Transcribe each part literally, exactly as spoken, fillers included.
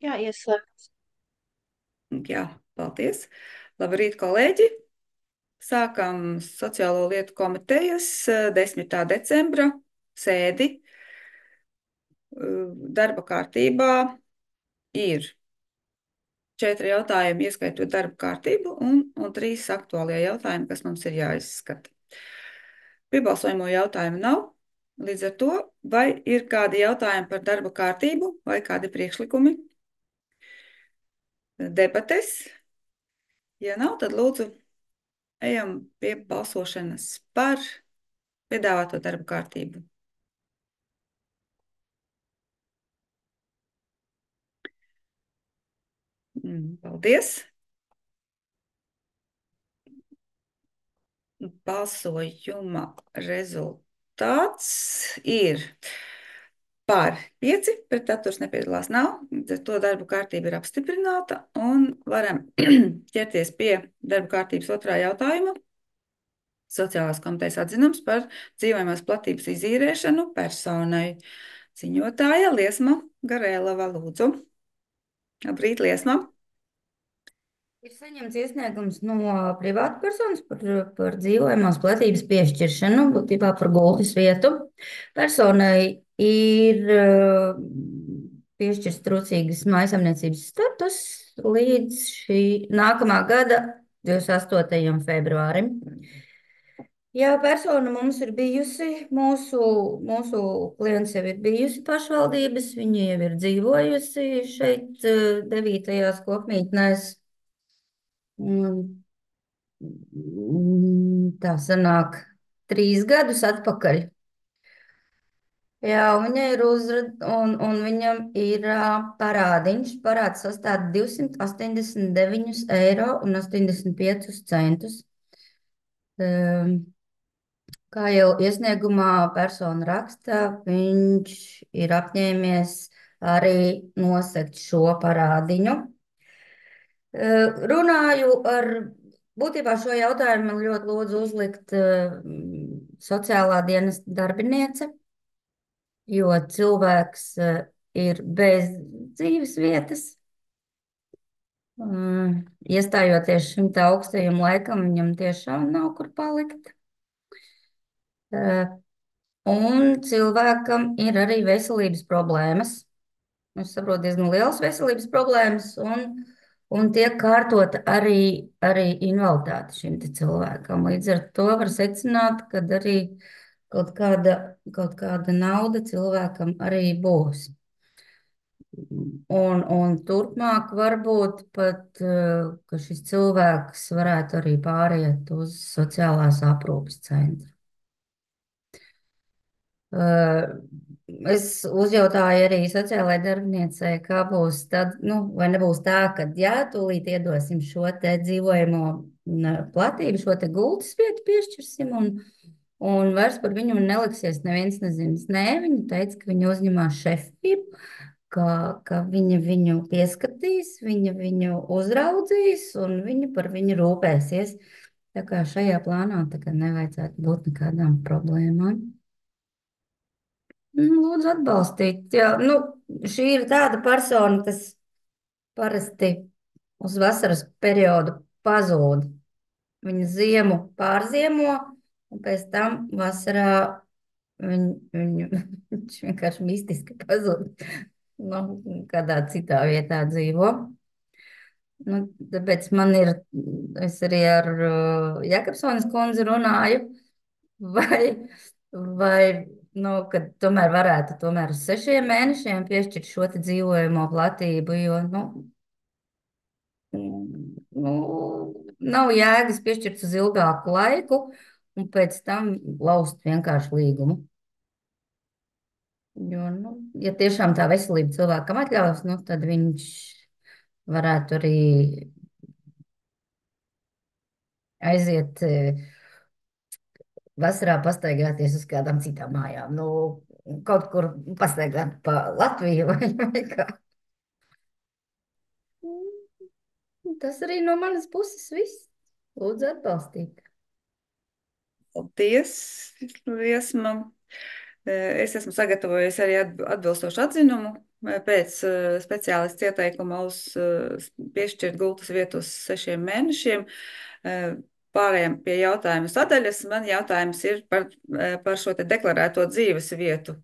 Jā, ieslēgts. Jā, paldies. Labrīt, kolēģi. Sākam Sociālo lietu komitejas eh, desmitā decembra sēdi. Eh, Darba kārtībā ir četri jautājumi, ieskaitot darba kārtību, un, un trīs aktuālie jautājumi, kas mums ir jāizskata. Piebalsojumu jautājumu nav. Līdz ar to, vai ir kādi jautājumi par darba kārtību vai kādi priekšlikumi, debates? Ja nav, tad lūdzu ejam pie balsošanas par piedāvāto darba kārtību. Mm, Paldies! Balsojuma rezultāts ir par pieci, pret atturs nepiedalās nav. Līdz ar to darba kārtība ir apstiprināta un varam ķerties pie darba kārtības otrā jautājuma. Sociālās komitejas atzinums par dzīvojamās platības izīrēšanu personai. Ziņotāja Liesma Garēlava, lūdzu. Labrīt, Liesma. Ir saņemts iesniegums no privātpersonas par, par dzīvojamās platības piešķiršanu, būtībā par gultas vietu. Personai ir uh, piešķirts trūcīgas mājasemniecības status līdz šī nākamā gada divdesmit astotajam februārim. Jā, persona mums ir bijusi, mūsu, mūsu klients jau ir bijusi pašvaldības, viņa jau ir dzīvojusi šeit uh, devītajās kopmītnēs. Mm, mm, Tā sanāk trīs gadus atpakaļ. Jā, un viņa ir uzrad, un, un viņam ir ā, parādiņš. Parāds sastāv divsimt astoņdesmit deviņus eiro un astoņdesmit piecus centus. Um, Kā jau iesniegumā persona raksta, viņš ir apņēmies arī nosegt šo parādiņu. Eh, Runāju ar, būtībā šo jautājumu man ļoti lūdzu uzlikt eh, sociālā dienas darbiniece, jo cilvēks eh, ir bez dzīves vietas. Mm, Iestājoties šim te augstajam laikam, viņam tiešām nav kur palikt. Eh, Un cilvēkam ir arī veselības problēmas. Es saprotu, diezgan liels veselības problēmas, un, un tiek kārtota arī, arī invaliditāte šim te cilvēkam. Līdz ar to var secināt, ka arī kaut kāda, kaut kāda nauda cilvēkam arī būs. Un, un turpmāk varbūt pat, eh, ka šis cilvēks varētu arī pāriet uz sociālās aprūpes centru. Uh, Es uzjautāju arī sociālajai darbiniecei, kā būs tad, nu, vai nebūs tā, ka jā, tūlīt iedosim šo te dzīvojamo n, platību, šo te gultas vietu piešķirsim, un, un vairs par viņu neliksies neviens nezins. Nē, viņa teica, ka viņa uzņemās šefību, ka, ka viņa viņu pieskatīs, viņa viņu uzraudzīs, un viņa par viņu rūpēsies. Tā kā šajā plānā tagad nevajadzētu būt nekādām problēmām. Nu, Lūdzu, atbalstīt. Jā, nu, šī ir tāda persona, kas parasti uz vasaras periodu pazūd. Viņa ziemu pārziemo, un pēc tam vasarā viņ, viņu, viņš vienkārši mistiski pazūd. Nu, kādā citā vietā dzīvo. Nu, tāpēc man ir, es arī ar uh, Jakobsonas kundzi runāju, vai, vai nu, kad tomēr varētu tomēr uz sešiem mēnešiem piešķirt šo te dzīvojamo platību, jo, nu, mm, nu, nav jēgas piešķirt uz ilgāku laiku un pēc tam laust vienkārši līgumu. Jo, nu, ja tiešām tā veselība cilvēkam atļaus, nu, tad viņš varētu arī aiziet eh, vasarā pastaigāties uz kādām citām mājām. Nu, kaut kur pastaigāt pa Latviju vai, vai kā. Tas arī no manas puses viss. Lūdzu, atbalstīt. Paldies, Liesma. Eh, Es esmu sagatavojis arī atb- atbilstošu atzinumu pēc uh, speciālists ieteikuma uz uh, piešķirt gultas vietu uz sešiem mēnešiem. Uh, Pārējām pie jautājuma sadaļas. Man jautājums ir par, uh, par šo te deklarēto dzīves vietu.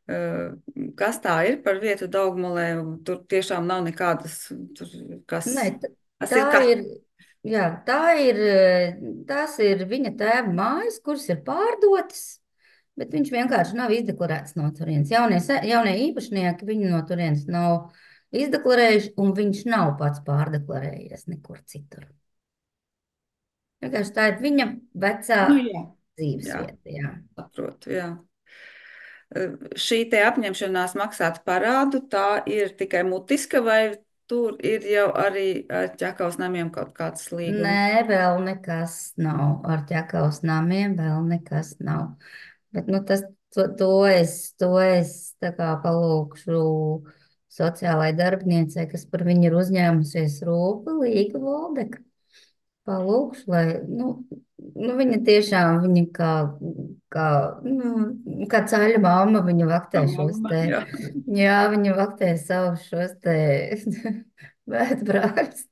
Uh, Kas tā ir par vietu Daugmulē? Tur tiešām nav nekādas, tur, kas, Nē, t- kas tā ir kas. ir, jā, tā ir, eh, tās ir viņa tēva mājas, kuras ir pārdotas, bet viņš vienkārši nav izdeklarēts no turienes. Jaunie, se- jaunie īpašnieki viņu no turienes nav izdeklarējuši, un viņš nav pats pārdeklarējies nekur citur. Vienkārši tā ir viņa vecā Nu, jā, jā, dzīvesvieta, jā. saprotu, jā. Šī te apņemšanās maksāt parādu, tā ir tikai mutiska, vai tur ir jau arī ar ķekavas namiem kaut kāds līgums? Nē, vēl nekas nav. Ar ķekavas namiem vēl nekas nav. Bet, nu, tas, to, to es, to es tā kā palūkšu sociālai darbiniecei, kas par viņu ir uzņēmusies rūpi, Līga Voldeka. Palūkšu, lai, nu, nu viņa tiešām, viņa kā, kā, nu, kā caļa mamma, viņa vaktē šos Mamma, te, jā. jā, viņa vaktē savus šos te vētbrāļus.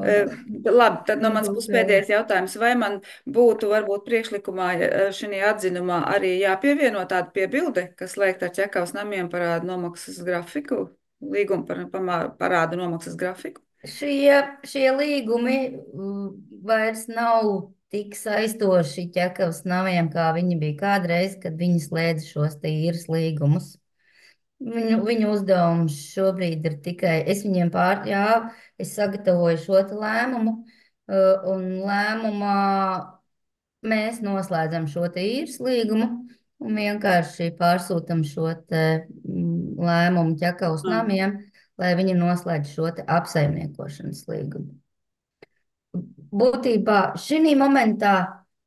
Eh, Labi, tad no manas puses Ieguldījumu. pēdējais jautājums. Vai man būtu varbūt priekšlikumā šī atzinumā arī jāpievieno tāda piebilde, kas liek ar ķekavas namiem parādu nomaksas grafiku, līgumu par pamā- parādu nomaksas grafiku? Šie, šie līgumi mm, vairs nav tik saistoši ķekavas namiem, kā viņi bija kādreiz, kad viņi slēdza šos te īres līgumus. Viņu, viņu uzdevums šobrīd ir tikai, es viņiem pār, jā, es sagatavoju šo te lēmumu, uh, un lēmumā mēs noslēdzam šo te īres līgumu un vienkārši pārsūtam šo te mm, lēmumu ķekavas Mm. namiem, lai viņi noslēdz šo te apsaimniekošanas līgumu. Būtībā šī momentā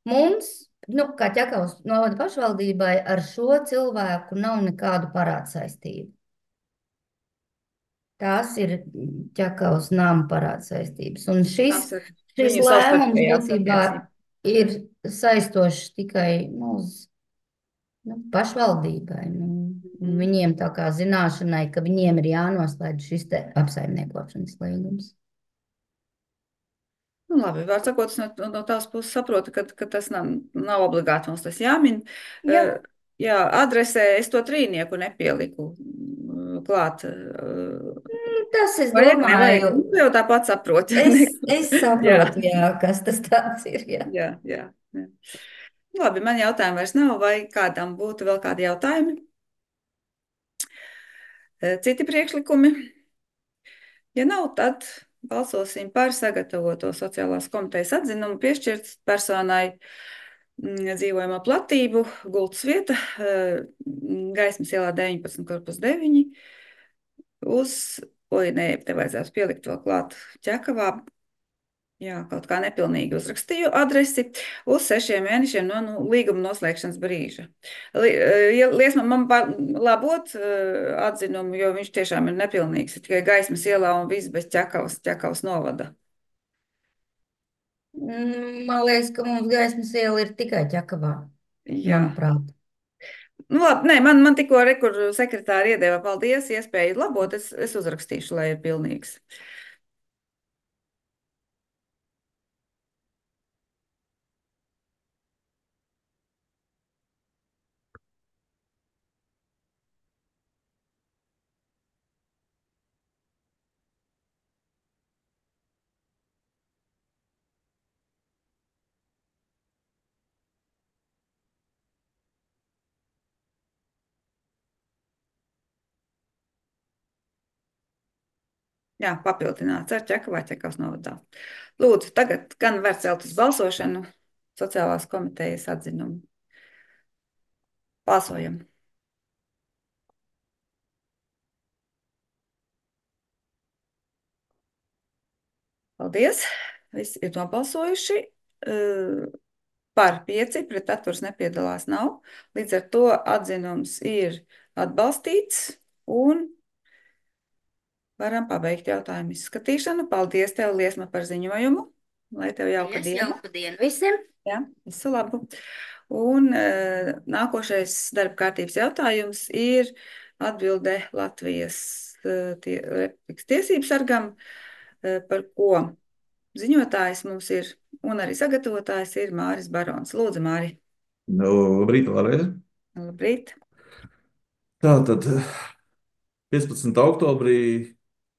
mums, nu, kā ķekavas novada pašvaldībai, ar šo cilvēku nav nekādu parādsaistību. Tās ir ķekavas nama parādsaistības. Un šis, Tās ir šis viņu lēmums savstarpējās būtībā attiecības. ir saistošs tikai nu, uz nu, pašvaldībai. Nu, un Mhm. viņiem tā kā zināšanai, ka viņiem ir jānoslēdz šis te apsaimniekošanas līgums. Nu, labi, var sakot, es no, no tās puses saprotu, ka, ka tas nav, nav obligāti mums tas jāmin. Jā, Eh, Jā, adresē es to trīnieku nepieliku mm, klāt. eh, tas es Vajag, nevajag. domāju, Nu, tu jau tāpat saproti. es, es Jā, saprotu, jā, kas tas tāds ir. Jā. jā, jā, jā. Labi, man jautājumu vairs nav, vai kādam būtu vēl kādi jautājumi? Eh, Citi priekšlikumi? Ja nav, tad balsosim par sagatavoto sociālās komitejas atzinumu piešķirt personai mm, dzīvojamo platību, gultas vieta, eh, Gaismas ielā deviņpadsmit, korpus deviņi, uz, oi, nē, te vajadzētu pielikt vēl klāt ķekavā. Jā, kaut kā nepilnīgi uzrakstīju adresi uz sešiem mēnešiem no nu, līguma noslēgšanas brīža. Li, eh, ja Liesma man var labot eh, atzinumu, jo viņš tiešām ir nepilnīgs. Ir tikai Gaismas ielā un viss bez ķekavas, ķekavas novada. Mm, Man liekas, ka mums gaismas iela ir tikai ķekavā, Jā. manuprāt. Nu, labi, nē, man, man tikko rekur sekretāri iedeva paldies, iespēju labot, es, es uzrakstīšu, lai ir pilnīgs. Jā, papildināts ar ķekavu vai ķekavas novadā. Lūdzu, tagad gan var celt uz balsošanu sociālās komitejas atzinumu. Balsojam! Paldies! Visi ir nobalsojuši. Eh, Par pieci, pret atturs nepiedalās nav. Līdz ar to atzinums ir atbalstīts un varam pabeigt jautājumu izskatīšanu. Paldies tev, Liesma, par ziņojumu. Lai tev jauka Paldies, diena. jauka diena visiem! Jā, visu labu. Un uh, nākošais darba kārtības jautājums ir Atbilde Latvijas eh, tie, Republikas tiesību sargam, eh, par ko ziņotājs mums ir un arī sagatavotājs ir Māris Barons. Lūdzu, Māri. Nu, labrīt, vēlreiz. Labrīt. Tātad piecpadsmitā oktobrī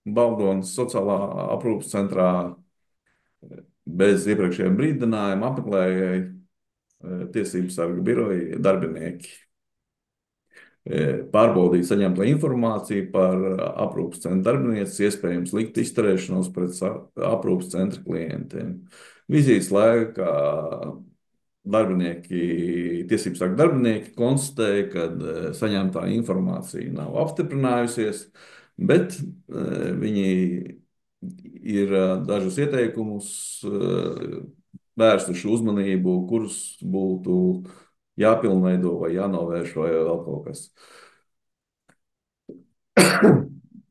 Baldonas sociālā aprūpas centrā bez iepriekšējiem brīdinājumiem apmeklēja tiesību sarga biroja darbinieki. Pārbaudīt saņemto informāciju par aprūpas centra darbinieces iespējams likt izturēšanos pret aprūpas centra klientiem. Vizītes laikā darbinieki, tiesību sarga darbinieki konstatēja, ka saņemtā informācija nav apstiprinājusies, bet viņi ir dažus ieteikumus vērstuši uzmanību, kurus būtu jāpilnveido vai jānovērš vai vēl kaut kas.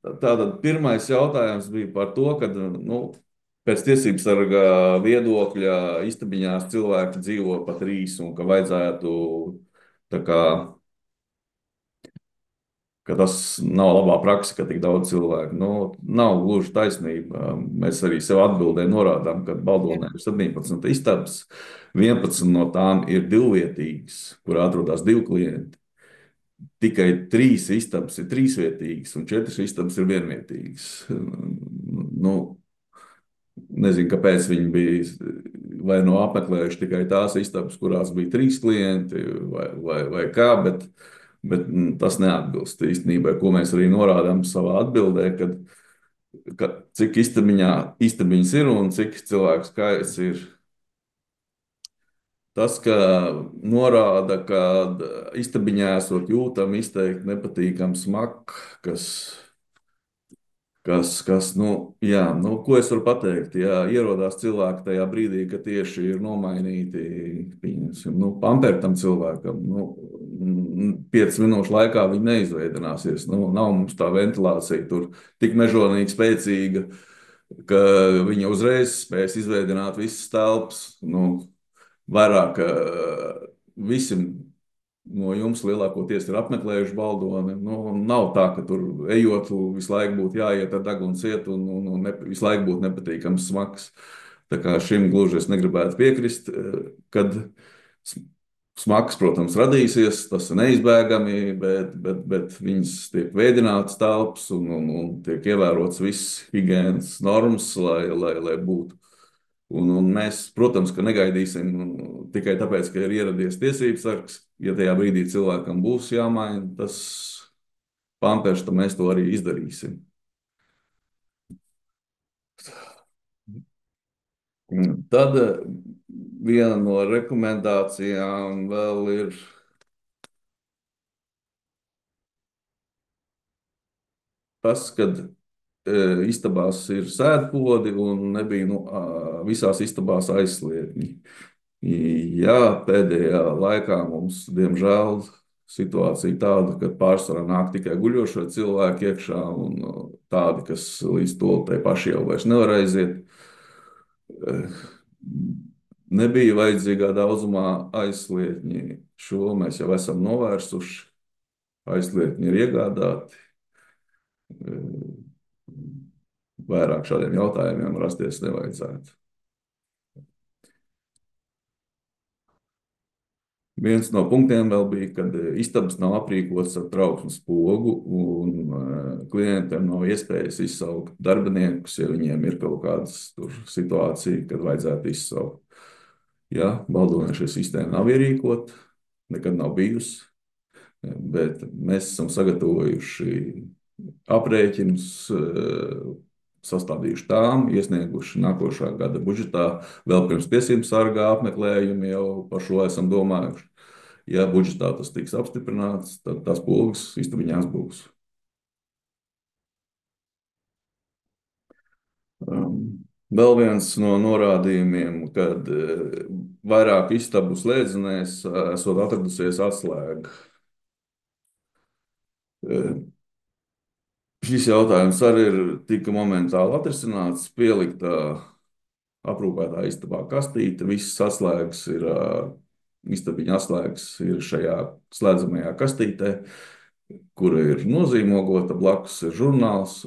Tātad pirmais jautājums bija par to, ka nu, pēc tiesību sarga viedokļa istabiņās cilvēki dzīvo pa trīs un ka vajadzētu tā kā, ka tas nav labā praksa, ka tik daudz cilvēku. Nu, nav gluži taisnība. Mēs arī sev atbildē norādām, ka Baldonē ir septiņpadsmit istabas, vienpadsmit no tām ir divvietīgas, kur atrodas divi klienti. Tikai trīs istabas ir trīsvietīgas un četras istabas ir vienvietīgas. Nu, nezinu, kāpēc viņi bija vai no apmeklējuši tikai tās istabas, kurās bija trīs klienti vai, vai, vai kā, bet, bet tas neatbilst īstenībai, ko mēs arī norādām savā atbildē, kad, ka cik istabiņā, istabiņas ir un cik cilvēku skaits ir. Tas, ka norāda, ka istabiņā esot jūtami izteikti nepatīkams smak, kas, kas, kas nu, jā, nu, ko es varu pateikt? Jā, ierodās cilvēki tajā brīdī, ka tieši ir nomainīti, pieņemsim, nu, pamperi tam cilvēkam, nu, piecas minūšu laikā viņi neizveidināsies. Nu, nav mums tā ventilācija tur tik mežonīgi spēcīga, ka viņa uzreiz spēs izveidināt visas telpas, nu, vairāk visi no jums lielākoties ir apmeklējuši Baldoni. Nu, nav tā, ka tur ejot visu laiku būtu jāiet ar degunu ciet un, un, un ne, visu laiku būtu nepatīkams smaks. Tā kā šim gluži es negribētu piekrist, kad smaks, protams, radīsies, tas ir neizbēgami, bet, bet, bet viņas tiek veidinātas telpas un, un, un tiek ievērots viss higienas normas, lai, lai, lai būtu. Un, un mēs, protams, ka negaidīsim tikai tāpēc, ka ir ieradies tiesības sargs. Ja tajā brīdī cilvēkam būs jāmaina tas pampers, tad mēs to arī izdarīsim. Tad viena no rekomendācijām vēl ir tas, kad istabās ir sēdpodi un nebija nu, visās istabās aizsliegņi. Jā, pēdējā laikā mums, diemžēl, situācija tāda, ka pārsvarā nāk tikai guļošie cilvēki iekšā un tādi, kas līdz to tai paši jau vairs nevar aiziet. Nebija vajadzīgā daudzumā aizsliegņi. Šo mēs jau esam novērsuši. Aizsliegņi ir iegādāti. Vairāk šādiem jautājumiem rasties nevajadzētu. Viens no punktiem vēl bija, kad istabas nav aprīkotas ar trauksmes pogu un klientiem nav iespējas izsaukt darbiniekus, ja viņiem ir kaut kādas tur situācija, kad vajadzētu izsaukt. Jā, Baldonē šī sistēma nav ierīkota, nekad nav bijusi, bet mēs esam sagatavojuši aprēķinus, sastādījuši tām, iesnieguši nākošā gada budžetā, vēl pirms tiesību sargā apmeklējumi jau par šo esam domājuši. Ja budžetā tas tiks apstiprināts, tad tās pogas istabiņās būs. Vēl viens no norādījumiem, kad vairāk istabu slēdzenēs esot atradusies atslēga. Šis jautājums arī ir tika momentāli atrisināts, pieliktā aprūpētā istabā kastīte, visas atslēgas ir, istabiņa atslēgas ir šajā slēdzamajā kastītē. kura ir nozīmogota, blakus ir žurnāls.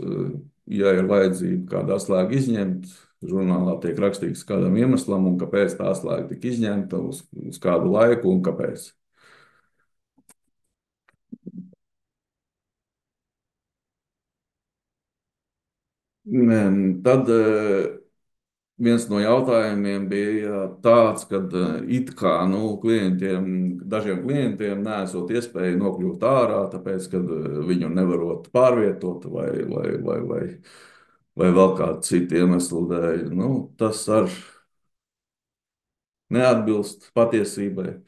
Ja ir vajadzība kādu atslēgu izņemt, žurnālā tiek rakstīts kādam iemeslam, un kāpēc tā atslēga tika izņemta, uz, uz kādu laiku un kāpēc. Tad viens no jautājumiem bija tāds, ka it kā nu, klientiem, dažiem klientiem nesot iespēju nokļūt ārā, tāpēc, ka viņu nevarot pārvietot vai, vai, vai, vai, vai vēl kādu citu iemeslu dēļ. Nu, tas arī neatbilst patiesībai.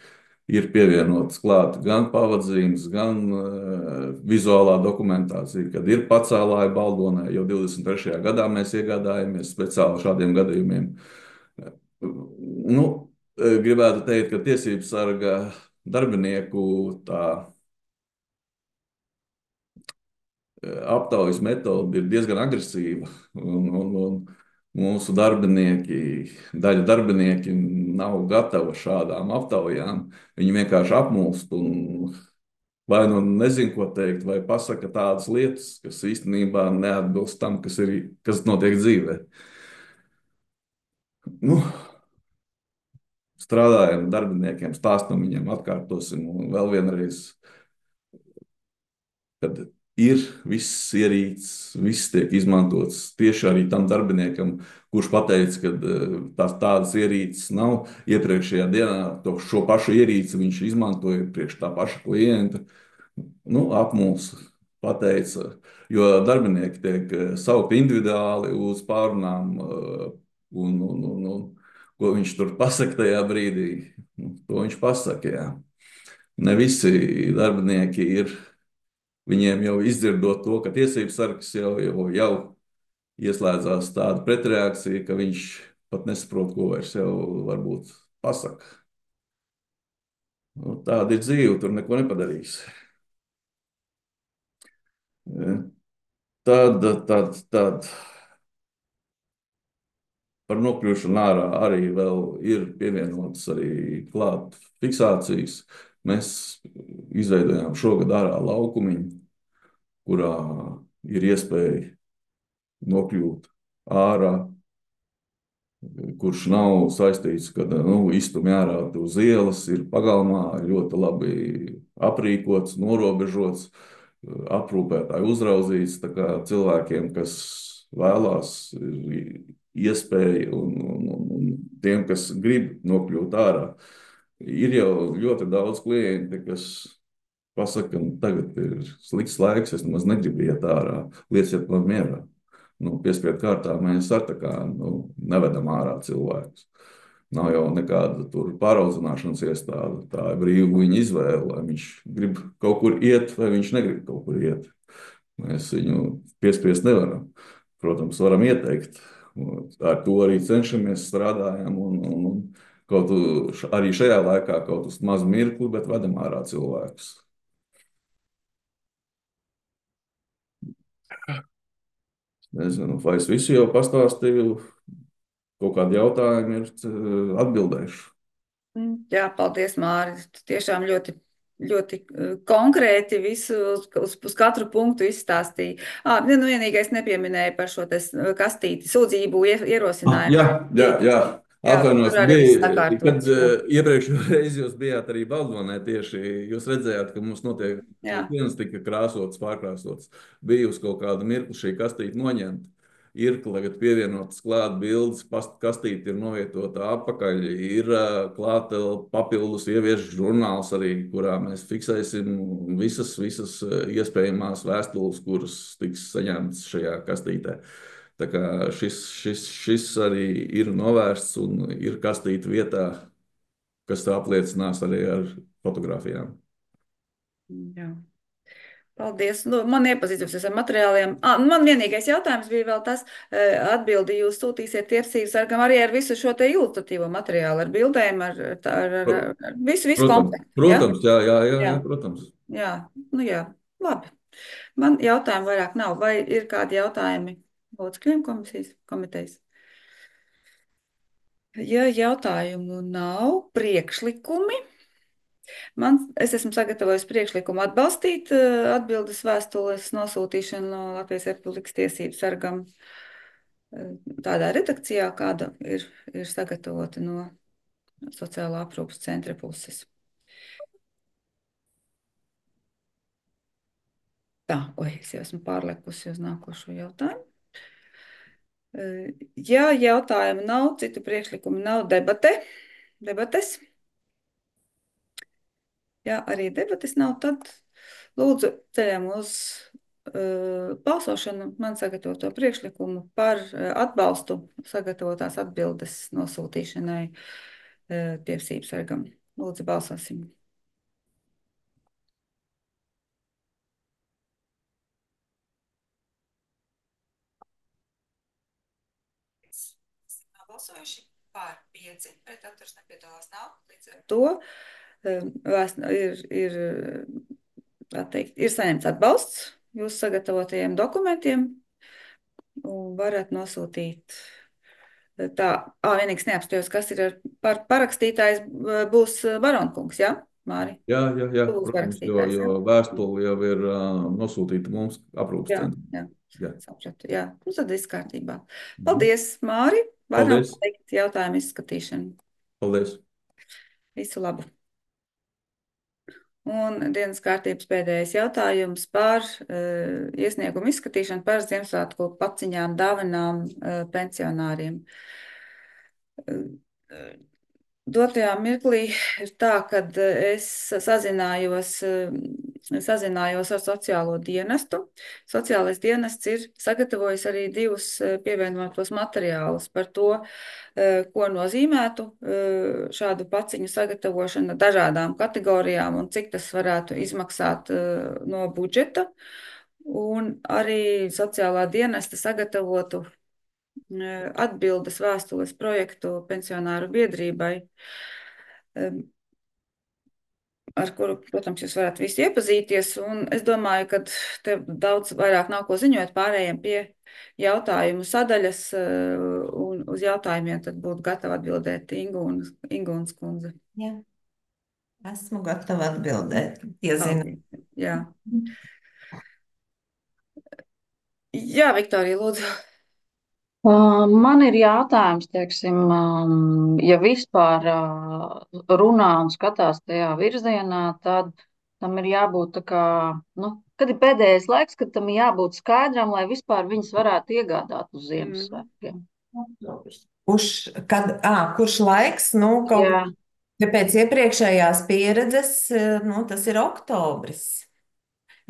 Ir pievienotas klāt gan pavadzīmes, gan uh, vizuālā dokumentācija, kad ir pacēlāja Baldonē, jau divdesmit trešajā gadā mēs iegādājāmies speciāli šādiem gadījumiem. Nu, gribētu teikt, ka tiesības sarga darbinieku tā aptaujas metode ir diezgan agresīva. Un, un, un mūsu darbinieki, daļa darbinieki nav gatavi šādām aptaujām. Viņi vienkārši apmulst un vai nu nezina, ko teikt, vai pasaka tādas lietas, kas īstenībā neatbilst tam, kas, ir, kas notiek dzīvē. Nu, strādājam ar darbiniekiem, stāstam viņiem, atkārtosim un vēl vienreiz, kad ir viss ierīces, viss tiek izmantots tieši arī tam darbiniekam, kurš pateica, ka tās tādas ierīces nav. Iepriekšējā dienā to, šo pašu ierīci viņš izmantoja priekš tā paša klienta. Nu, apmulsa, pateica, jo darbinieki tiek saukti individuāli uz pārunām, un, un, un, un ko viņš tur pasaka tajā brīdī, to viņš pasaka, jā. Ne visi darbinieki ir. Viņiem jau izdzirdot to, ka tiesības sargs jau, jau, jau ieslēdzās tāda pretreakcija, ka viņš pat nesaprot, ko vairs jau varbūt pasaka. Nu, tāda ir dzīve, tur neko nepadarīs. Tad, tad, tad par nokļūšanu ārā arī vēl ir pievienotas arī klāt fiksācijas. Mēs izveidojām šogad ārā laukumiņu, kurā ir iespēja nokļūt ārā, kurš nav saistīts, ka nu, iztumj ārā uz ielas, ir pagalmā ļoti labi aprīkots, norobežots, aprūpētāji uzraudzīts. Tā kā cilvēkiem, kas vēlās, ir iespēja un, un, un, un tiem, kas grib nokļūt ārā. Ir jau ļoti daudz klienti, kas pasaka, ka tagad ir slikts laiks, es nemaz negribu iet ārā, lieciet man mierā. Nu, piespiedu kārtā mēs ar tā kā nu, nevedam ārā cilvēkus. Nav jau nekāda tur pāraudzināšanas iestāde. Tā ir brīva viņa izvēle, vai viņš grib kaut kur iet, vai viņš negrib kaut kur iet. Mēs viņu piespiest nevaram. Protams, varam ieteikt. Ar to arī cenšamies, strādājam un, un, un kaut arī šajā laikā kaut uz mazu mirkli, bet vedam ārā cilvēkus. Nezinu, vai es visu jau pastāstīju, kaut kādi jautājumi ir atbildējuši. Jā, paldies, Māris. Tiešām ļoti, ļoti konkrēti visu uz, uz, uz katru punktu izstāstīja. À, nu, vienīgais nepieminēja par šo kastīti, sūdzību ierosinājumu. Jā, jā, jā. Atvainojos, bija, kad uh, iepriekšējā reizi jūs bijāt arī Baldonē tieši, jūs redzējāt, ka mums notiek dienas tika krāsotas, pārkrāsotas. Bija uz kaut kādu mirkli šī kastīte noņemta. Ir, kad pievienotas klāt bildes, kastīte ir novietota apakaļ, ir klāta papildus ieviešu žurnāls arī, kurā mēs fiksēsim visas, visas iespējamās vēstules, kuras tiks saņemtas šajā kastītē. Tā kā šis, šis, šis arī ir novērsts un ir kastīta vietā, kas apliecinās arī ar fotogrāfijām. Jā. Paldies. Nu, man iepazīstināsies ar materiāliem. Ah, man vienīgais jautājums bija vēl tas, atbildi jūs sūtīsiet tiesības sargam arī ar visu šo te ilustratīvo materiālu, ar bildēm, ar, ar, ar, ar visu, visu komplektu. Protams, jā, jā, jā, jā, protams. Jā, nu jā, labi. Man jautājumu vairāk nav. Vai ir kādi jautājumi locekļiem komisijas komitejas? Ja jautājumu nav, priekšlikumi. Man, es esmu sagatavojis priekšlikumu atbalstīt eh, atbildes vēstules nosūtīšanu no Latvijas Republikas tiesību sargam eh, tādā redakcijā, kāda ir, ir sagatavota no sociālā aprūpas centra puses. Tā, oi, es jau esmu pārlekusi uz nākošo jautājumu. Eh, Ja jautājumu nav, citu priekšlikumu nav, debate, debates. Ja arī debates nav, tad lūdzu ceļam uz uh, balsošanu man sagatavoto priekšlikumu par uh, atbalstu sagatavotās atbildes nosūtīšanai uh, tiesību sargam. Lūdzu, balsosim. Balsojuši par pieci, pret atturs nepiedalās nav. Līdz ar to um, vēst, ir, ir, tā teikt, ir saņemts atbalsts jūsu sagatavotajiem dokumentiem un varat nosūtīt. Tā, ā, vienīgs neapstājos, kas ir ar par, parakstītājs uh, būs uh, Baronkungs, jā, Māri? Jā, jā, jā, Tu būsi protams, jo, parakstītājs, jo jā? vēstule jau ir uh, nosūtīta mums aprūpas Jā, centram. jā, Jā. sapratu, jā. Nu, tad viss kārtībā. Mhm. Paldies, Māri. Varam Paldies. teikt jautājumu izskatīšanu. Paldies. Visu labu. Un dienas kārtības pēdējais jautājums par uh, iesniegumu izskatīšanu par Ziemassvētku paciņām, dāvanām uh, pensionāriem. Uh, uh, Dotajā mirklī ir tā, kad es sazinājos, sazinājos ar sociālo dienestu. Sociālais dienests ir sagatavojis arī divus pievienotos materiālus par to, ko nozīmētu šādu paciņu sagatavošana dažādām kategorijām un cik tas varētu izmaksāt no budžeta. Un arī sociālā dienesta sagatavotu atbildes vēstules projektu pensionāru biedrībai, ar kuru, protams, jūs varat visi iepazīties. Un es domāju, ka te daudz vairāk nav ko ziņot, pārējiem pie jautājumu sadaļas, un uz jautājumiem tad būtu gatava atbildēt Ingūnas, Ingūnas kundze. Jā, esmu gatava atbildēt, ja zinu. Paldies. Jā. Jā, Viktorija, lūdzu. Uh, Man ir jautājums, teiksim, um, ja vispār uh, runā un skatās tajā virzienā, tad tam ir jābūt tā kā, nu, kad ir pēdējais laiks, kad tam ir jābūt skaidram, lai vispār viņas varētu iegādāt uz Ziemassvētkiem. Kurš, kad, ā, kurš laiks, nu, kaut Jā. ja pēc iepriekšējās pieredzes, nu, tas ir oktobris.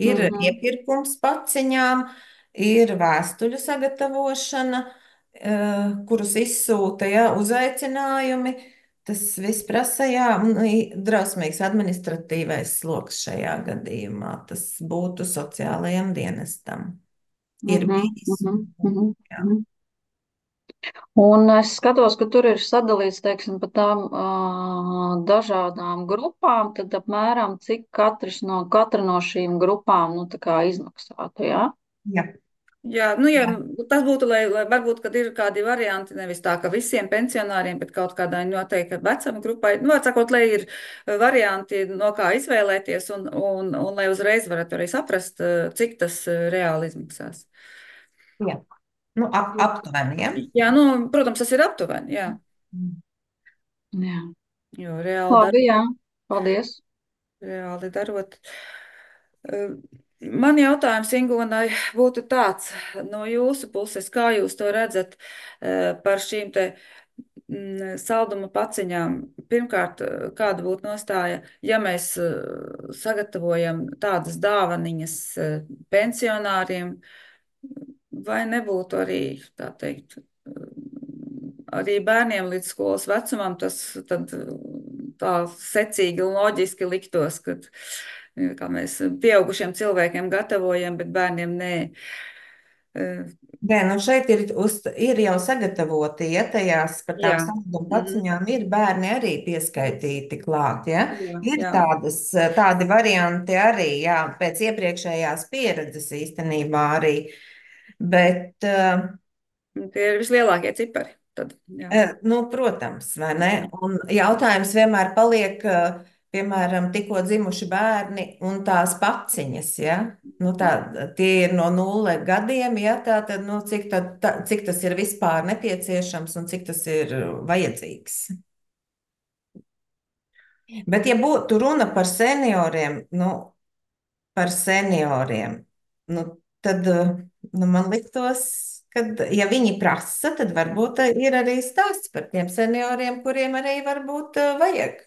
Ir Mhm. iepirkums paciņām, ir vēstuļu sagatavošana, eh, kurus izsūta, ja, uzaicinājumi. Tas viss prasa, jā, un i- drausmīgs administratīvais sloks šajā gadījumā. Tas būtu sociālajam dienestam. Ir Mhm, bijis. mhm, mhm, Jā. mhm. Un es skatos, ka tur ir sadalīts, teiksim, pa tām uh, dažādām grupām, tad apmēram cik katrs no, katra no šīm grupām, nu, tā kā izmaksātu, jā? Jā. Jā, nu, ja Jā. tas būtu, lai, lai varbūt, kad ir kādi varianti, nevis tā, ka visiem pensionāriem, bet kaut kādai noteikti vecuma grupai, nu, var sakot, lai ir varianti, no kā izvēlēties, un, un, un lai uzreiz varat arī saprast, cik tas reāli izmaksās. Jā. Nu, ap, aptuveni, ja? Jā, nu, protams, tas ir aptuveni, jā, Jā. jo reāli dar, Labi, jā. Paldies. reāli darot. Eh, Man jautājums, Ingūnai, būtu tāds no jūsu puses, kā jūs to redzat eh, par šīm te mm, salduma paciņām. Pirmkārt, eh, kāda būtu nostāja, ja mēs eh, sagatavojam tādas dāvaniņas eh, pensionāriem, vai nebūtu arī, tā teikt, eh, arī bērniem līdz skolas vecumam, tas tad eh, tā secīgi un loģiski liktos, kad eh, kā mēs pieaugušiem cilvēkiem gatavojam, bet bērniem nē. Eh, Nē, nu šeit ir, uz, ir jau sagatavoti, ja tajās par tām Jā. salduma Mhm. paciņām ir bērni arī pieskaitīti klāt, ja? Jā, Ir jā. tādas, tādi varianti arī, jā, pēc iepriekšējās pieredzes īstenībā arī, bet, uh, Tie ir vislielākie cipari. Tad, jā. eh, nu, protams, vai ne? Un jautājums vienmēr paliek, uh, piemēram, tikko dzimuši bērni un tās paciņas, ja? Nu, tā, tie ir no nulle gadiem, ja? Tā tad, nu, cik, tā, tā, cik tas ir vispār nepieciešams un cik tas ir vajadzīgs. Bet, ja būtu runa par senioriem, nu, par senioriem, nu, tad nu, man liktos, ka, ja viņi prasa, tad varbūt ir arī stāsts par tiem senioriem, kuriem arī varbūt eh, vajag.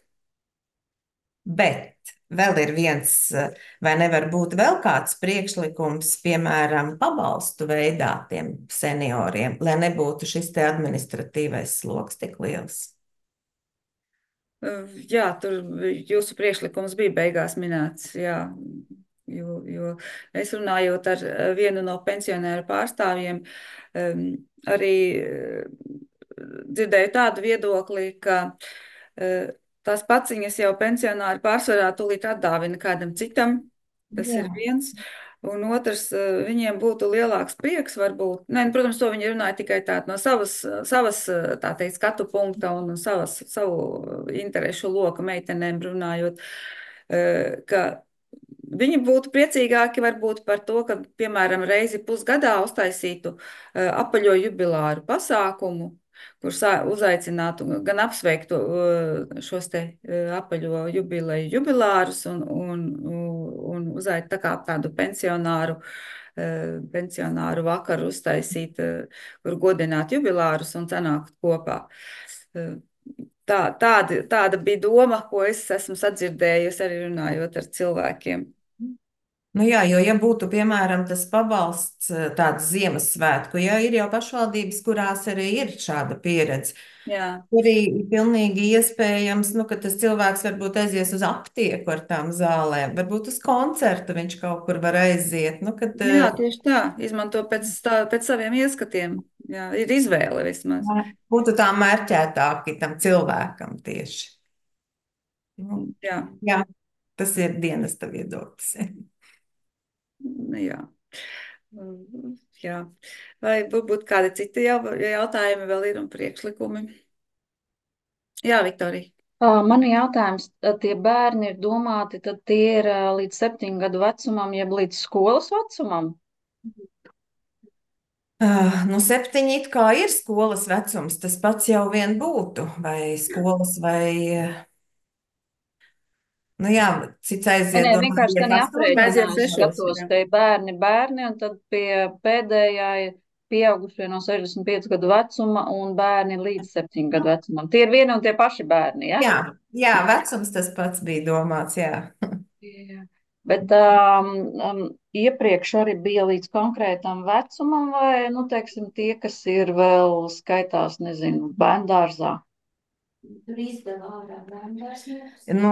Bet vēl ir viens, eh, vai nevar būt vēl kāds priekšlikums, piemēram, pabalstu veidā tiem senioriem, lai nebūtu šis te administratīvais sloks tik liels. Uh, Jā, tur jūsu priekšlikums bija beigās minēts, jā, jo, jo es runājot ar uh, vienu no pensionēru pārstāvjiem, um, arī uh, dzirdēju tādu viedokli, ka uh, tās paciņas jau pensionāri pārsvarā tūlīt atdāvina kādam citam, tas Jā. ir viens. Un otrs, uh, viņiem būtu lielāks prieks, varbūt. Nē, nu, protams, to viņi runāja tikai tā no savas, savas uh, tā teikt, skatu punkta un savas, savu interešu loka meitenēm runājot, uh, ka viņi būtu priecīgāki varbūt par to, ka, piemēram, reizi pusgadā uztaisītu uh, apaļo jubilāru pasākumu, kur sā- uzaicinātu gan apsveiktu uh, šos te uh, apaļo jubileju jubilārus un, un, un uzaicināt tā kā tādu pensionāru, uh, pensionāru vakaru uztaisīt, uh, kur godināt jubilārus un sanākt kopā. Uh, Tā, tāda, tāda bija doma, ko es esmu sadzirdējusi arī runājot ar cilvēkiem. Nu jā, jo ja būtu, piemēram, tas pabalsts eh, tāds Ziemassvētku, ja ir jau pašvaldības, kurās arī ir šāda pieredze, Jā. arī ir pilnīgi iespējams, nu, ka tas cilvēks varbūt aizies uz aptieku ar tām zālēm, varbūt uz koncertu viņš kaut kur var aiziet. Nu, kad, Nu Jā, tieši tā. Izmanto pēc, tā, pēc saviem ieskatiem. Jā, ir izvēle vismaz. eh, būtu tā mērķētāki tam cilvēkam tieši. Nu, Jā, jā, tas ir dienesta viedoklis. nu jā. Mm, jā. Vai varbūt kādi citi jau, jautājumi vēl ir un priekšlikumi? Jā, Viktorija. Ā, Man ir jautājums, ā, tie bērni ir domāti, tad tie ir ā, līdz septiņu gadu vecumam, jeb līdz skolas vecumam? Uh, nu, septiņi it kā ir skolas vecums, tas pats jau vien būtu, vai skolas, vai, eh, nu jā, cits Nē, aiziet nē, domāju, vienkārši iet tādā aprēķinā Aiziet es sešos, skatos, jā. te ir bērni, bērni, un tad pie pēdējā ir pieaugušie no sešdesmit piecu gadu vecuma un bērni līdz septiņu gadu vecumam. Tie ir vieni un tie paši bērni, ja? Jā, jā, vecums tas pats bija domāts, jā. Jā. Bet um, um, iepriekš arī bija līdz konkrētam vecumam, vai, nu, teiksim, tie, kas ir vēl skaitās, nezinu, bērndārzā. Tur izdevā ārā bērndārs. Nu,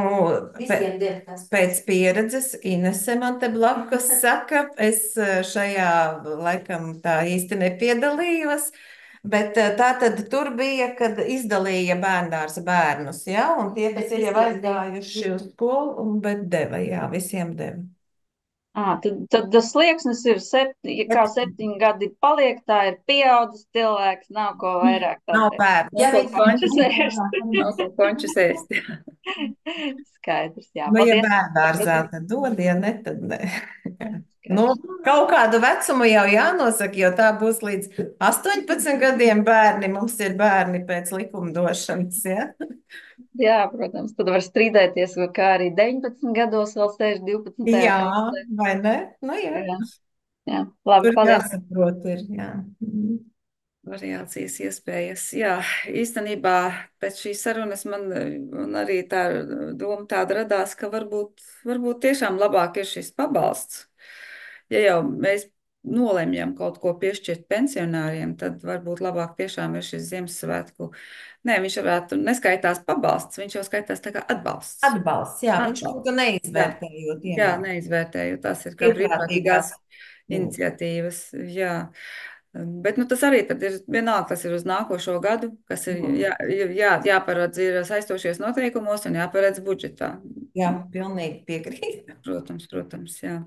Visiem pē- der tas. pēc pieredzes Inese man te blakus saka, es eh, šajā laikam tā īsti nepiedalījos, bet eh, tā tad tur bija, kad izdalīja bērndārza bērnus, jā, un tie, kas Bet ir jau visiem deva. aizgājuši uz skolu, un, bet deva, jā, visiem deva. À, tad, tad tas slieksnis ir, septi, ja kā septiņi gadi paliek, tā ir pieaudzis cilvēks, nav ko vairāk Nav tātad. bērnu. Ja Ko viņš končus ēst. nav ko končus ēst. Skaidrs, jā. Nu, ja Paldies. bērndārzā, tad dod, ja ne, tad ne. Nu, kaut kādu vecumu jau jānosaka, jo tā būs līdz astoņpadsmit gadiem bērni. Mums ir bērni pēc likumdošanas, ja? Jā, protams, tad var strīdēties, kā arī deviņpadsmit gados vēl sēž divpadsmitajā Jā, klasē. vai ne? Nu, jā. Jā, jā. Labi, Tur paldies. jāsaprot ir, jā. Mhm. Variācijas iespējas. Jā, īstenībā pēc šīs sarunas man un arī tā doma tāda radās, ka varbūt, varbūt tiešām labāk ir šis pabalsts. Ja jau mēs nolemjam kaut ko piešķirt pensionāriem, tad varbūt labāk tiešām ir šis Ziemassvētku. Nē, viņš varētu neskaitās pabalsts, viņš jau skaitās tā kā atbalsts. Atbalsts, jā, viņš Atbalsts. būtu neizvērtējot Jā, ienākumu. neizvērtēju. Tas ir kā brīvprātīgās iniciatīvas. Jā. Bet nu, tas arī tad ir vienalga, tas ir uz nākošo gadu, kas ir jā, jā, jāparedz ir saistošies noteikumos un jāparedz budžetā. Jā, pilnīgi piekrīt. Protams, protams, jā.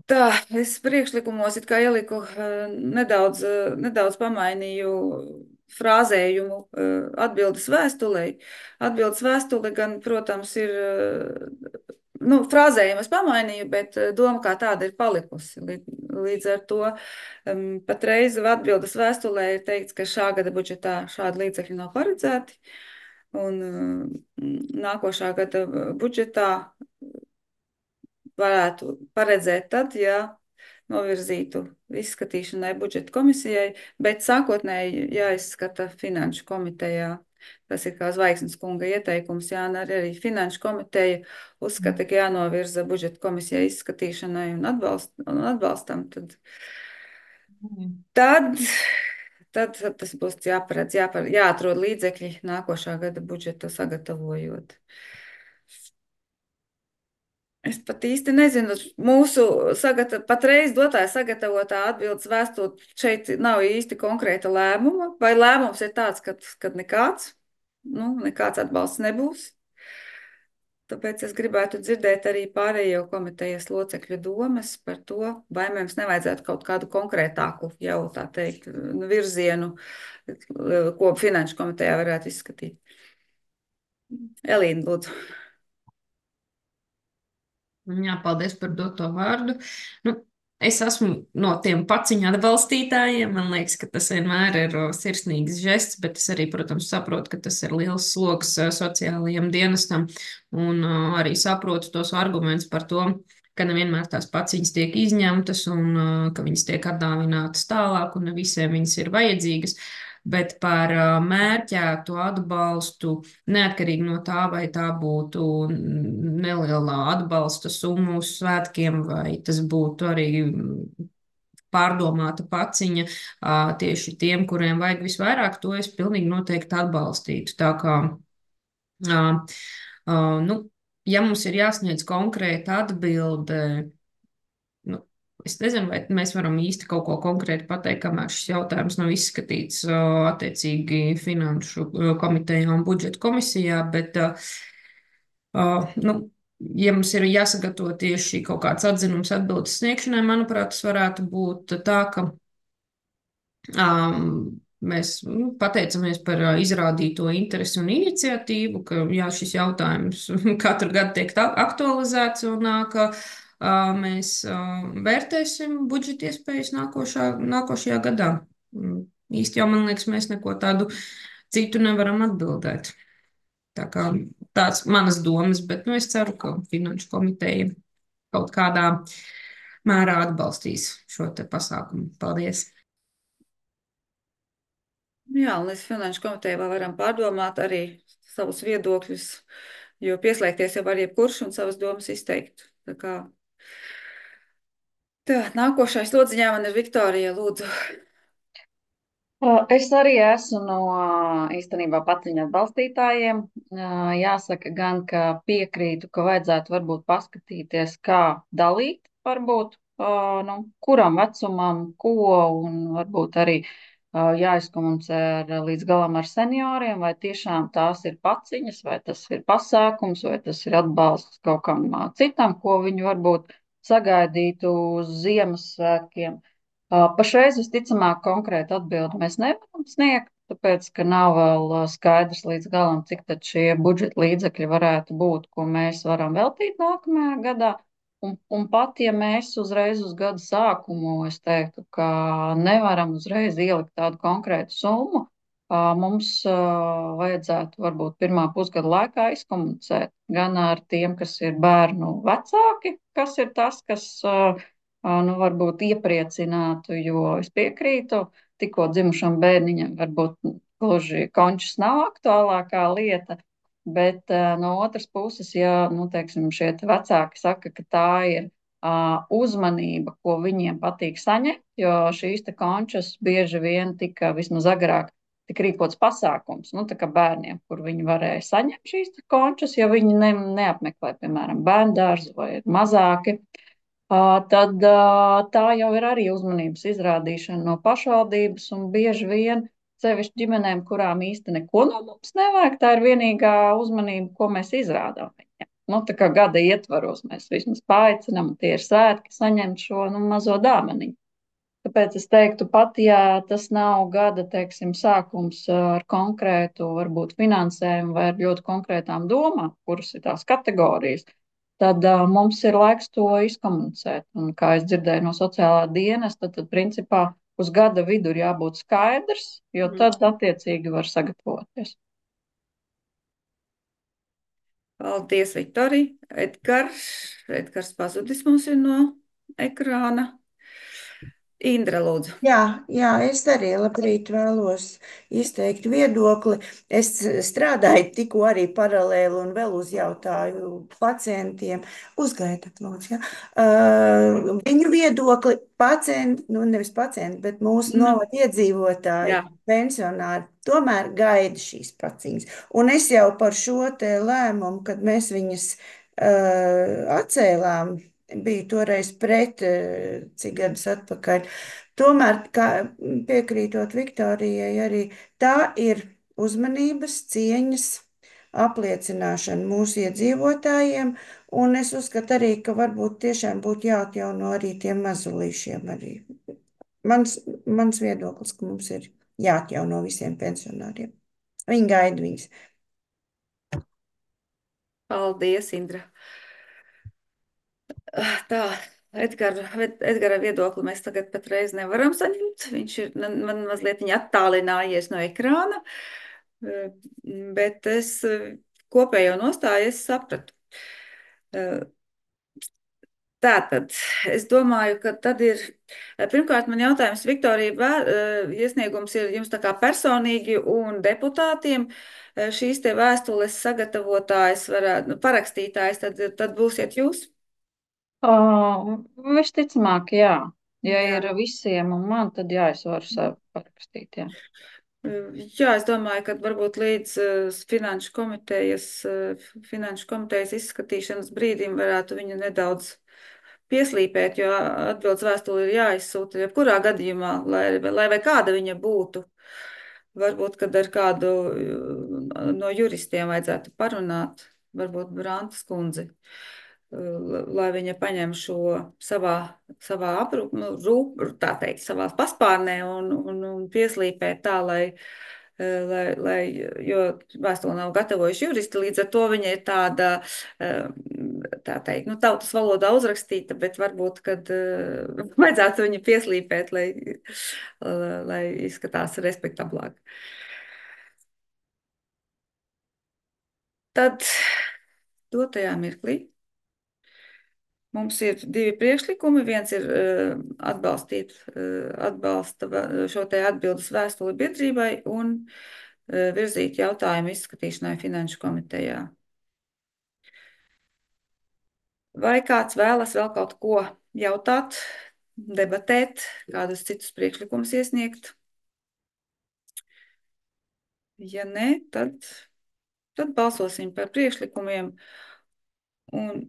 Tā, es priekšlikumos it kā ieliku eh, nedaudz, eh, nedaudz pamainīju frāzējumu atbildes vēstulei. Atbildes vēstule gan, protams, ir, nu, frāzējumu es pamainīju, bet doma kā tāda ir palikusi. Līdz ar to um, patreiz atbildes vēstulē ir teikts, ka šā gada budžetā šādi līdzekļi nav paredzēti. Un um, nākošā gada budžetā varētu paredzēt tad, ja novirzītu izskatīšanai budžeta komisijai, bet sākotnēji jāizskata finanšu komitejā. Tas ir kā Zvaigznes kunga ieteikums, jā, un arī finanšu komiteja uzskata, ka jānovirza budžeta komisijai izskatīšanai un, atbalst, un atbalstam, tad, tad, tad, tad tas būs jāparedz, jāparedz, jāatrod līdzekļi nākošā gada budžetu sagatavojot. Es pat īsti nezinu, mūsu sagata, patreiz dotā sagatavotā atbildes vēstule šeit nav īsti konkrēta lēmuma, vai lēmums ir tāds, ka, kad nekāds, nu, nekāds atbalsts nebūs. Tāpēc es gribētu dzirdēt arī pārējo komitejas locekļu domas par to, vai mums nevajadzētu kaut kādu konkrētāku jau, tā teikt, virzienu, ko finanšu komitejā varētu izskatīt. Elīna, lūdzu. Jā, paldies par doto vārdu. Nu, es esmu no tiem paciņu atbalstītājiem. Man liekas, ka tas vienmēr ir sirsnīgs žests, bet es arī, protams, saprotu, ka tas ir liels sloks sociālajiem dienestam. Un uh, arī saprotu tos argumentus par to, ka nevienmēr tās paciņas tiek izņemtas un uh, ka viņas tiek atdāvinātas tālāk un ne visiem viņas ir vajadzīgas. Bet par mērķētu atbalstu, neatkarīgi no tā, vai tā būtu nelielā atbalsta summa uz svētkiem, vai tas būtu arī pārdomāta paciņa tieši tiem, kuriem vajag visvairāk, to es pilnīgi noteikti atbalstītu. Tā kā, nu, ja mums ir jāsniedz konkrēta atbilde, nu, es nezinu, vai mēs varam īsti kaut ko konkrēti pateikt, kamēr šis jautājums nav izskatīts attiecīgi finanšu komitejā un budžeta komisijā, bet, nu, ja mums ir jāsagatavo tieši kaut kāds atzinums atbildes sniegšanai, manuprāt, tas varētu būt tā, ka um, mēs nu, pateicamies par izrādīto interesi un iniciatīvu, ka jā, šis jautājums katru gadu tiek aktualizēts un ka mēs vērtēsim budžeta iespējas nākošā, nākošajā gadā. Īsti jau, man liekas, mēs neko tādu citu nevaram atbildēt. Tā kā tāds manas domas, bet nu, es ceru, ka finanšu komiteja kaut kādā mērā atbalstīs šo te pasākumu. Paldies! Jā, un līdz finanšu komiteja vēl varam pārdomāt arī savus viedokļus, jo pieslēgties jau var jebkurš un savas domas izteikt. Tā kā Tā, nākošais lodziņā man ir Viktorija, lūdzu. Es arī esmu no īstenībā paciņu atbalstītājiem. Jāsaka gan, ka piekrītu, ka vajadzētu varbūt paskatīties, kā dalīt varbūt, nu, kuram vecumam, ko, un varbūt arī jāizkomunicē ar, līdz galam ar senioriem, vai tiešām tās ir paciņas, vai tas ir pasākums, vai tas ir atbalsts kaut kam citam, ko viņi varbūt sagaidītu uz Ziemassvētkiem. Pašreiz visticamāk konkrēti atbildi mēs nevaram sniegt, tāpēc, ka nav vēl skaidrs līdz galam, cik tad šie budžeta līdzekļi varētu būt, ko mēs varam veltīt nākamajā gadā. Un, un pat, ja mēs uzreiz uz gada sākumu, es teiktu, ka nevaram uzreiz ielikt tādu konkrētu summu, mums vajadzētu varbūt pirmā pusgada laikā izkomunicēt gan ar tiem, kas ir bērnu vecāki, kas ir tas, kas nu, varbūt iepriecinātu, jo es piekrītu, tikko dzimušam bērniņam varbūt gluži končus nav aktuālākā lieta, bet no otras puses, ja, nu, teiksim, šie vecāki saka, ka tā ir uh, uzmanība, ko viņiem patīk saņemt, jo šīs te končas bieži vien tika vismaz agrāk tik rīkots pasākums, nu, tā kā bērniem, kur viņi varēja saņemt šīs končas, ja viņi ne, neapmeklē, piemēram, bērndārzu vai ir mazāki, uh, tad uh, tā jau ir arī uzmanības izrādīšana no pašvaldības un bieži vien sevišķi ģimenēm, kurām īsti neko no mums nevajag, tā ir vienīgā uzmanība, ko mēs izrādām viņiem. Nu, tā kā gada ietvaros mēs vismaz paaicinām, un tie ir svētki saņemt šo nu, mazo dāvaniņu. Tāpēc es teiktu, pat ja tas nav gada, teiksim, sākums ar konkrētu, varbūt finansējumu vai ar ļoti konkrētām domām, kuras ir tās kategorijas, tad uh, mums ir laiks to izkomunicēt. Un, kā es dzirdēju no sociālā dienesta, tad principā uz gada vidu ir jābūt skaidrs, jo tad attiecīgi var sagatavoties. Paldies, Viktorija. Edgars, Edgars pazudis mums ir no ekrāna. Indra, lūdzu. Jā, jā, es arī labrīt vēlos izteikt viedokli. Es strādāju tikko arī paralēli un vēl uzjautāju pacientiem. Uzgaidat, lūdzu, jā. Uh, viņu viedokli pacienti, nu nevis pacienti, bet mūsu Nu, novada iedzīvotāji, jā. pensionāri, tomēr gaida šīs paciņas. Un es jau par šo te lēmumu, kad mēs viņas uh, atcēlām, biju toreiz pret, uh, cik gadus atpakaļ. Tomēr, kā piekrītot Viktorijai, arī tā ir uzmanības, cieņas apliecināšana mūsu iedzīvotājiem, un es uzskatu arī, ka varbūt tiešām būtu jāatjauno arī tiem mazulīšiem arī. Mans, mans viedoklis, ka mums ir jāatjauno visiem pensionāriem. Viņi gaida viņus. Paldies, Indra. Tā, Edgara, Edgara viedokli mēs tagad patreiz nevaram saņemt. Viņš ir man mazliet attālinājies no ekrāna, bet es kopējo nostāju es sapratu. Tātad, es domāju, ka tad ir, pirmkārt, man jautājums, Viktorija, iesniegums ir jums tā kā personīgi un deputātiem. Šīs te vēstules sagatavotājs, varētu, nu, parakstītājs, tad, tad būsiet jūs? Uh, visticamāk, jā. Ja Jā. ir visiem un man, tad jā, es varu sev parakstīt, jā. Jā, es domāju, ka varbūt līdz uh, finanšu komitejas, uh, finanšu komitejas izskatīšanas brīdim varētu viņu nedaudz pieslīpēt, jo atbildes vēstule ir jāizsūta jebkurā gadījumā, lai, lai vai kāda viņa būtu. Varbūt, kad ar kādu no juristiem vajadzētu parunāt, varbūt Brantas kundzi, lai viņa paņem šo savā, savā aprūp, nu, rūp, tā teikt, savā paspārnē un, un, un pieslīpēt tā, lai, lai, lai, jo vēstuli nav gatavojuši juristi, līdz ar to viņa ir tāda, tā teikt, nu, tautas valodā uzrakstīta, bet varbūt, kad vajadzētu viņu pieslīpēt, lai, lai izskatās respektablāk. Tad dotajā mirklī mums ir divi priekšlikumi. Viens ir uh, atbalstīt uh, atbalsta šo te atbildes vēstuli biedrībai un uh, virzīt jautājumu izskatīšanai finanšu komitejā. Vai kāds vēlas vēl kaut ko jautāt, debatēt, kādus citus priekšlikumus iesniegt? Ja nē, tad, tad balsosim par priekšlikumiem. Un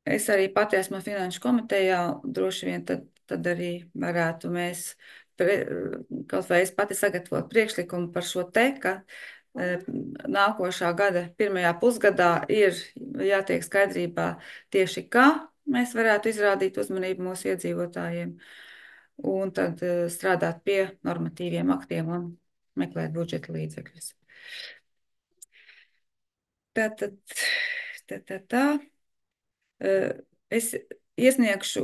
es arī pati esmu finanšu komitejā, droši vien tad, tad arī varētu mēs, pre, kaut vai es pati sagatavot priekšlikumu par šo te, ka e, nākošā gada pirmajā pusgadā ir jātiek skaidrībā tieši kā mēs varētu izrādīt uzmanību mūsu iedzīvotājiem un tad e, strādāt pie normatīviem aktiem un meklēt budžeta līdzekļus. Tā, tad, tā, tā, tā. Es iesniegšu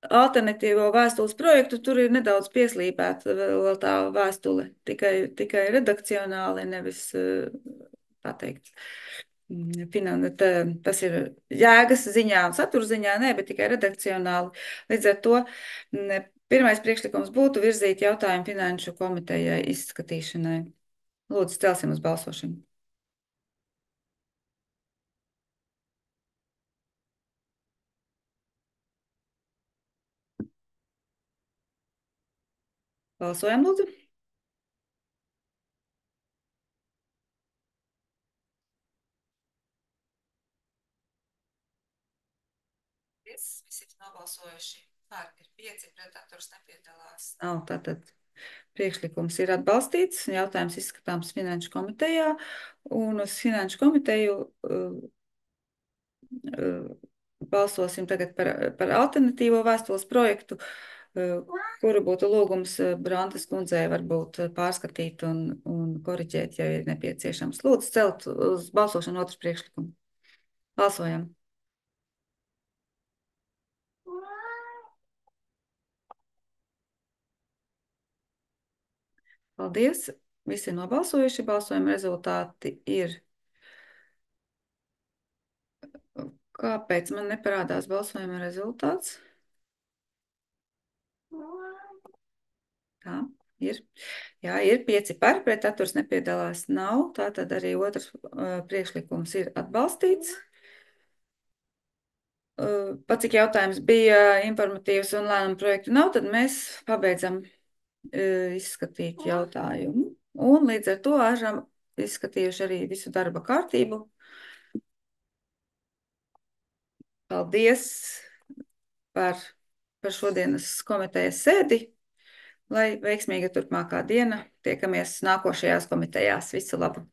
alternatīvo vēstules projektu, tur ir nedaudz pieslīpēta vēl tā vēstule, tikai, tikai redakcionāli, nevis, tā teikt, tas ir jēgas ziņā un satura ziņā, ne, bet tikai redakcionāli. Līdz ar to pirmais priekšlikums būtu virzīt jautājumu finanšu komitejai izskatīšanai. Lūdzu, celsim uz balsošanu. Balsojam, lūdzu. Visi ir nobalsojuši par, ir pieci, pretaturs nepiedalās. Nav, tātad priekšlikums ir atbalstīts, jautājums izskatāms finanšu komitejā, un uz finanšu komiteju uh, uh, balsosim tagad par, par alternatīvo vēstules projektu, kuru būtu lūgums Brantas kundzei varbūt pārskatīt un, un koriģēt, ja ir nepieciešams. Lūdzu, celt uz balsošanu otru priekšlikumu. Balsojam. Paldies. Visi ir nobalsojuši. Balsojuma rezultāti ir. Kāpēc man neparādās balsojuma rezultāts? Tā, ir. Jā, ir pieci par, pret atturs nepiedalās nav. Tātad arī otrs uh, priekšlikums ir atbalstīts. Uh, pat cik jautājums bija informatīvs un lēmumu projektu nav, tad mēs pabeidzam uh, izskatīt jautājumu. Un līdz ar to esam izskatījuši arī visu darba kārtību. Paldies par, par šodienas komitejas sēdi, lai veiksmīga turpmākā diena. Tiekamies nākošajās komitejās. Visu labu!